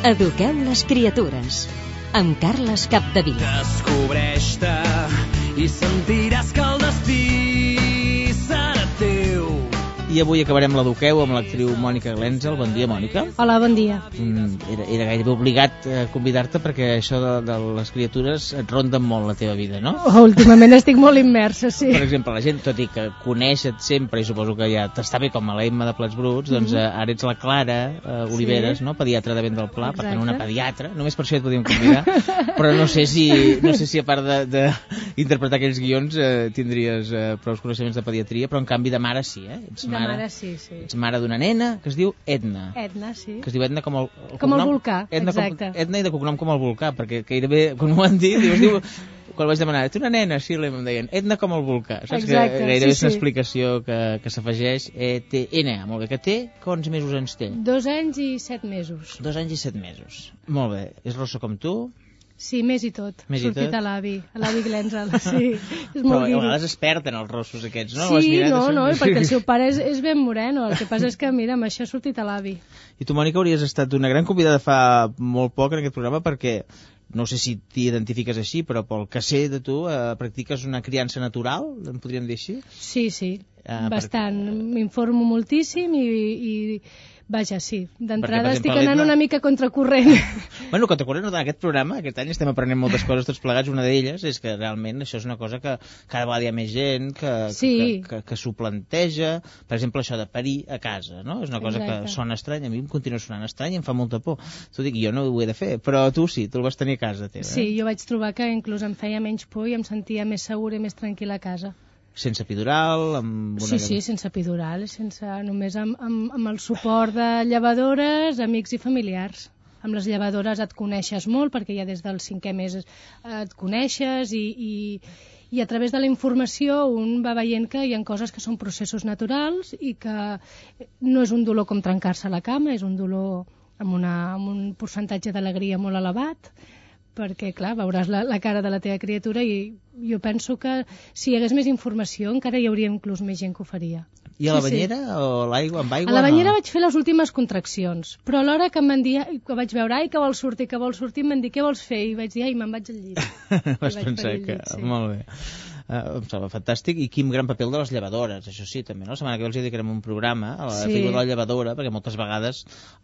Eduqueu les criatures, amb Carles Capdevila. Descobreix-te i sentiràs que el destí serà teu. I avui acabarem l'Eduqueu amb l'actriu Mònica Glenzel. Bon dia, Mònica. Hola, bon dia. Era gairebé obligat convidar-te perquè això de les criatures et ronden molt la teva vida, no? Últimament estic molt immersa, sí. Per exemple, la gent, tot i que coneix-et sempre, i suposo que ja t'està bé com a la Emma de Plats Bruts, doncs ara ets la Clara Oliveres, no? Pediatra de Vent del Pla, per tant una pediatra, només per això et podíem convidar, però no sé si a part d'interpretar aquells guions tindries prou coneixements de pediatria, però en canvi de mare sí, ets mare, sí. Ets mare d'una nena que es diu Edna. Edna, sí. Que es diu Edna com el com el volcà, Edna exacte. Edna i de cognom com el volcà, perquè gairebé, quan m'ho han dit, quan vaig demanar, ets una nena? Sí, em deien, Edna com el volcà. Saps? Exacte, que gairebé és una sí. explicació que s'afegeix. N, molt bé, que té, quants mesos ens té? 2 anys i 7 mesos. 2 anys i 7 mesos. Molt bé. És rossa com tu? Sí, més i tot. Sortit a l'avi Glenzel, sí. És Però molt a vegades es perden els rossos aquests, no? Sí, no, perquè el seu pare és ben moreno. El que passa és que, mira, amb això ha sortit a l'avi. I tu, Mònica, hauries estat una gran convidada fa molt poc en aquest programa perquè, no sé si t'hi identifiques així, però pel que sé de tu, practiques una criança natural, en podríem dir així? Sí, bastant. M'informo moltíssim i vaja, sí. D'entrada estic anant una mica contracorrent. Bueno, contracorrent en aquest programa, aquest any estem aprenent moltes coses tots plegats. Una d'elles és que realment això és una cosa que cada vegada hi ha més gent que s'ho planteja. Per exemple, això de parir a casa, no? És una cosa que sona estranya. A mi em continua sonant estrany i em fa molta por. T'ho dic, jo no ho he de fer, però tu sí, tu el vas tenir a casa teva. Sí, jo vaig trobar que inclús em feia menys por i em sentia més segura i més tranquil·la a casa. Sense epidural? Sí, sense epidural, només amb el suport de llevadores, amics i familiars. Amb les llevadores et coneixes molt, perquè ja des del 5è mes et coneixes i a través de la informació un va veient que hi ha coses que són processos naturals i que no és un dolor com trencar-se a la cama, és un dolor amb un percentatge d'alegria molt elevat, perquè, clar, veuràs la cara de la teva criatura i jo penso que si hi hagués més informació encara hi hauria inclús més gent que ho faria. I a la banyera o l'aigua, amb aigua? A la banyera vaig fer les últimes contraccions, però a l'hora que em van dir, que vaig veure, que vols sortir, em van dir, què vols fer? I vaig dir, me'n vaig al llit. Vas pensar que... Molt bé. Em sembla fantàstic. I quin gran paper de les llevadores, això sí, també, no? La setmana que ve els dedicarem un programa a la figura de la llevadora, perquè moltes vegades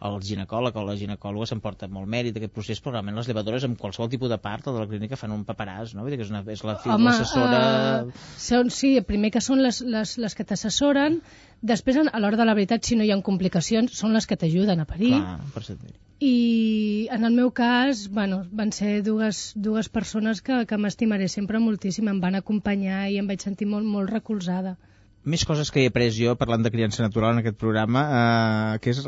el ginecòleg o la ginecòloga s'emporta molt mèrit d'aquest procés, però realment les llevadores amb qualsevol tipus de part de la clínica fan un paperàs, no? Vull dir que és l'assessora... Sí, primer que són les que t'assessoren, després a l'hora de la veritat, si no hi ha complicacions, són les que t'ajuden a parir. Clar, per sentir. I en el meu cas, van ser dues persones que m'estimaré sempre moltíssim, em van acompanyar i em vaig sentir molt, molt recolzada. Més coses que he après jo parlant de criança natural en aquest programa, que és...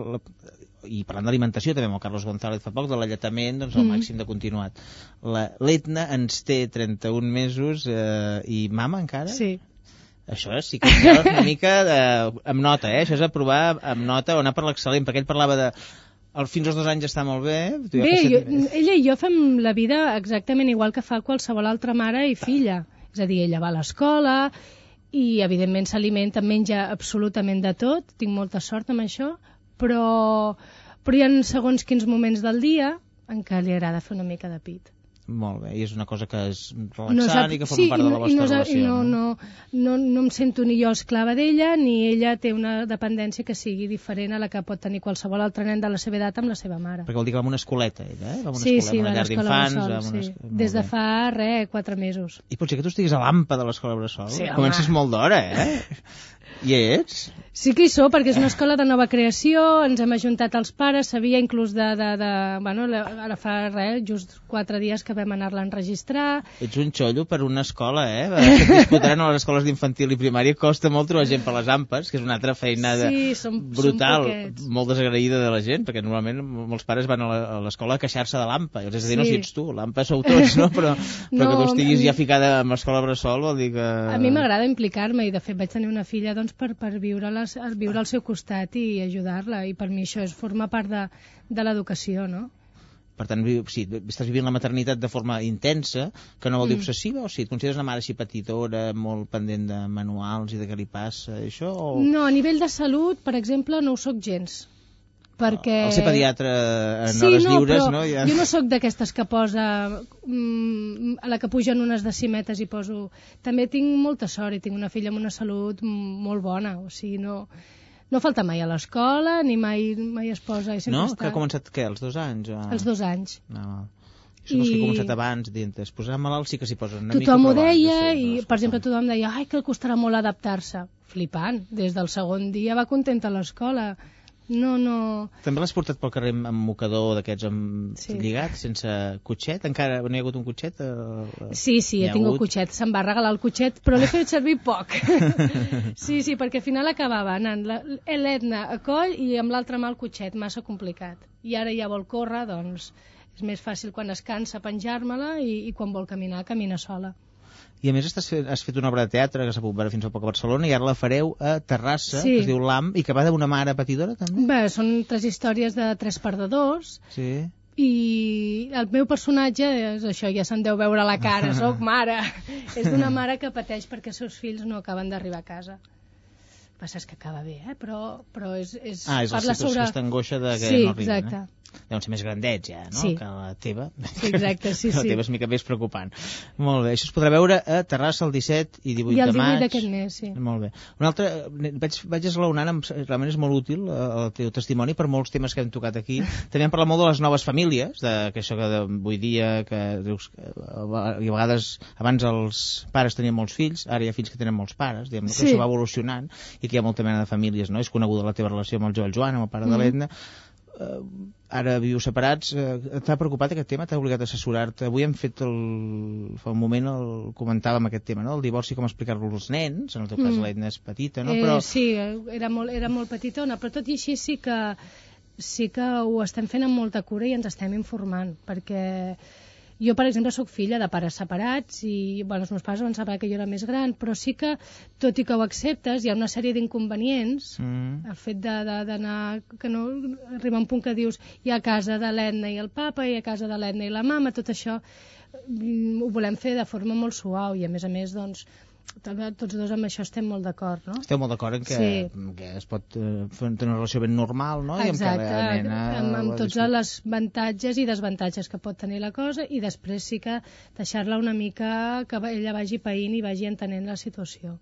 i parlant d'alimentació també amb el Carlos González fa poc, de l'alletament, doncs al màxim de continuat. L'Edna ens té 31 mesos i mama encara? Sí. Això sí que és una mica amb nota, això és aprovar amb nota o anar per l'excel·lent, perquè ell parlava de fins als 2 anys està molt bé. Ella i jo fem la vida exactament igual que fa qualsevol altra mare i filla. És a dir, ella va a l'escola i evidentment s'alimenta, menja absolutament de tot, tinc molta sort amb això, però hi ha segons quins moments del dia en què li agrada fer una mica de pit. Molt bé, i és una cosa que és relaxant i que forma part de la vostra relació. No em sento ni jo esclava d'ella, ni ella té una dependència que sigui diferent a la que pot tenir qualsevol altre nen de la seva edat amb la seva mare. Perquè vol dir que va a una escoleta, ella, va a una llar d'infants. Des de fa, 4 mesos. I pot ser que tu estiguis a l'AMPA de l'escola Bressol? Sí, comences molt d'hora, I ets? Sí que hi sóc, perquè és una escola de nova creació, ens hem ajuntat els pares, sabia inclús ara fa just 4 dies que vam anar-la a enregistrar. Ets un xollo per una escola, que et disputaran a les escoles d'infantil i primària, costa molt trobar gent per les AMPAs, que és una altra feinada brutal, molt desagraïda de la gent, perquè normalment molts pares van a l'escola a queixar-se de l'AMPA, és a dir, no si ets tu, l'AMPA sou tots, no? Però que tu estiguis ja ficada amb l'escola Bressol vol dir que... A mi m'agrada implicar-me i de fet vaig tenir una filla per viure al seu costat i ajudar-la, i per mi això forma part de l'educació, no? Per tant, sí, estàs vivint la maternitat de forma intensa, que no vol dir obsessiva, o sigui, et consideres una mare així petitona, molt pendent de manuals i de què li passa, això? O... No, a nivell de salut, per exemple, no ho soc gens. perquè... El ser pediatre en hores lliures, no? Ja... Jo no sóc d'aquestes que posa... a la que pugen unes decimetes i poso... També tinc molta sort i tinc una filla amb una salut molt bona, o sigui, no falta mai a l'escola, ni mai es posa... I no? Està... Que ha començat, què, als 2 anys? O... Als 2 anys. No. Això que ha començat abans, dient, es posarà malalt, sí que s'hi posen una tothom mica... Tothom ho deia i, per exemple, tothom deia que el costarà molt adaptar-se. Flipant. Des del segon dia va contenta a l'escola. No... També l'has portat pel carrer amb mocador d'aquests lligat, sense cotxet? Encara no hi ha hagut un cotxet? Sí, he tingut cotxet. Se'm va regalar el cotxet, però l'he fet servir poc. Sí, perquè al final acabava anant l'Edna a coll i amb l'altra mà el cotxet, massa complicat. I ara ja vol córrer, doncs... És més fàcil quan es cansa penjar-me-la i quan vol caminar, camina sola. I a més has fet una obra de teatre que s'ha pogut veure fins fa poc a Barcelona i ara la fareu a Terrassa, que es diu L'Am, i que va d'una mare patidora també? Bé, són 3 històries de 3 perdedors. Sí. I el meu personatge és això, ja se'n deu veure a la cara, soc mare. És d'una mare que pateix perquè els seus fills no acaben d'arribar a casa. Passa que acaba bé, però és és la situació, aquesta angoixa de que no arriben. Sí, exacte. Deuen ser més grandets ja, no? Sí. Que la teva. Sí, exacte, sí. La teva és mica més preocupant. Molt bé, això es podrà veure a Terrassa el 17 i 18 de maig. I el 18 d'aquest mes, sí. Molt bé. Un altre, vaig esglaonant, realment és molt útil el teu testimoni per molts temes que hem tocat aquí. També hem parlat molt de les noves famílies, que això que avui dia, que dius, i a vegades abans els pares tenien molts fills, ara hi ha fills que tenen molts pares, diguem, que això va evolucionant i que hi ha molta mena de famílies, no? És coneguda la teva relació amb el Joel, amb el pare de l'Edna. Ara viu separats. T'ha preocupat aquest tema? T'ha obligat a assessorar-te? Avui hem fet fa un moment comentàvem aquest tema, no? El divorci, com explicar-lo als nens, en el teu cas l'Edna és petita, no? Però... Sí, era molt petitona, però tot i així sí que ho estem fent amb molta cura i ens estem informant, perquè jo, per exemple, sóc filla de pares separats i els meus pares van separar que jo era més gran, però sí que, tot i que ho acceptes, hi ha una sèrie d'inconvenients. El fet d'anar... que no arriba a un punt que dius hi ha a casa de l'Edna i el papa, hi ha a casa de l'Edna i la mama, tot això ho volem fer de forma molt suau i, a més, doncs, tots dos amb això estem molt d'acord, no? Esteu molt d'acord en que es pot fer una relació ben normal, no? Exacte, amb tots els avantatges i desavantatges que pot tenir la cosa, i després sí que deixar-la una mica que ella vagi païnt i vagi entenent la situació.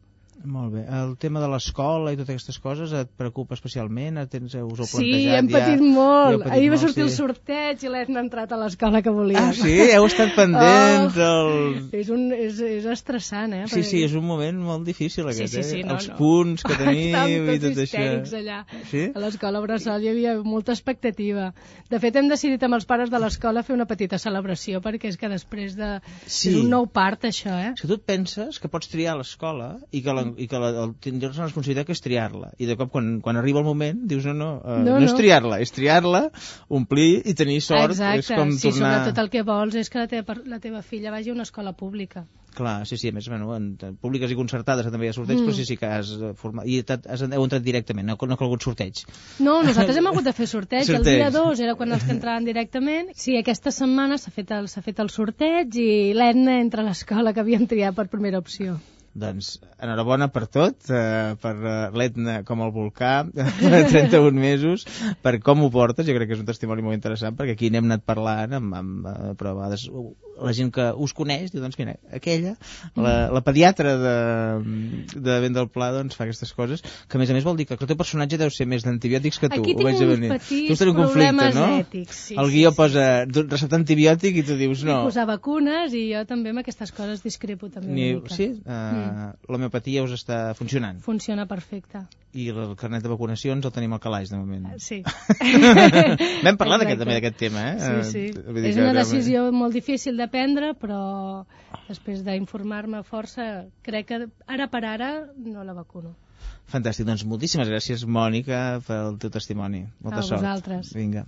Molt bé. El tema de l'escola i totes aquestes coses et preocupa especialment? Us ho heu plantejat? Sí, hem patit molt. Ahir va sortir el sorteig i l'Edna ha entrat a l'escola que volia. Ah, sí? Heu estat pendents? És estressant, Sí, és un moment molt difícil aquest, sí, els punts que teniu i tot això. Estàvem tots histèrics allà. Sí? A l'escola Bressol hi havia molta expectativa. De fet, hem decidit amb els pares de l'escola fer una petita celebració, perquè és que després de... És un nou part, això, És que tu et penses que pots triar l'escola i que tindràs la responsabilitat que és triar-la, i de cop quan arriba el moment dius no és triar-la, és triar-la, omplir i tenir sort. Exacte, és com sí, tornar... sobretot el que vols és que la teva filla vagi a una escola pública. Clar, sí, a més, en públiques i concertades també hi ha sorteig, però sí que has format... I heu entrat directament, no ha calgut sorteig. No, nosaltres hem hagut de fer sorteig. El dia 2 era quan els que entraven directament. Sí, aquesta setmana s'ha fet el sorteig i l'Edna entra a l'escola que havíem triat per primera opció. Doncs enhorabona per tot, per l'Edna com el volcà, 31 mesos, per com ho portes. Jo crec que és un testimoni molt interessant, perquè aquí n'hem anat parlant, però a vegades la gent que us coneix diu, doncs mira, aquella, la pediatra de Vent del Pla, doncs fa aquestes coses, que a més vol dir que el teu personatge deu ser més d'antibiòtics que tu. Aquí tinc uns petits problemes ètics. El guió posa receptar antibiòtic i tu dius no. I posar vacunes, i jo també amb aquestes coses discrepo també una mica. Sí? L'homeopatia us està funcionant? Funciona perfecte. I el carnet de vacunacions el tenim al calaix, de moment. Sí. Vam parlar també d'aquest tema, Sí. És una decisió molt difícil de prendre, però després d'informar-me força, crec que ara per ara no la vacuno. Fantàstic, doncs moltíssimes gràcies, Mònica, pel teu testimoni. Molta sort. A vosaltres. Vinga.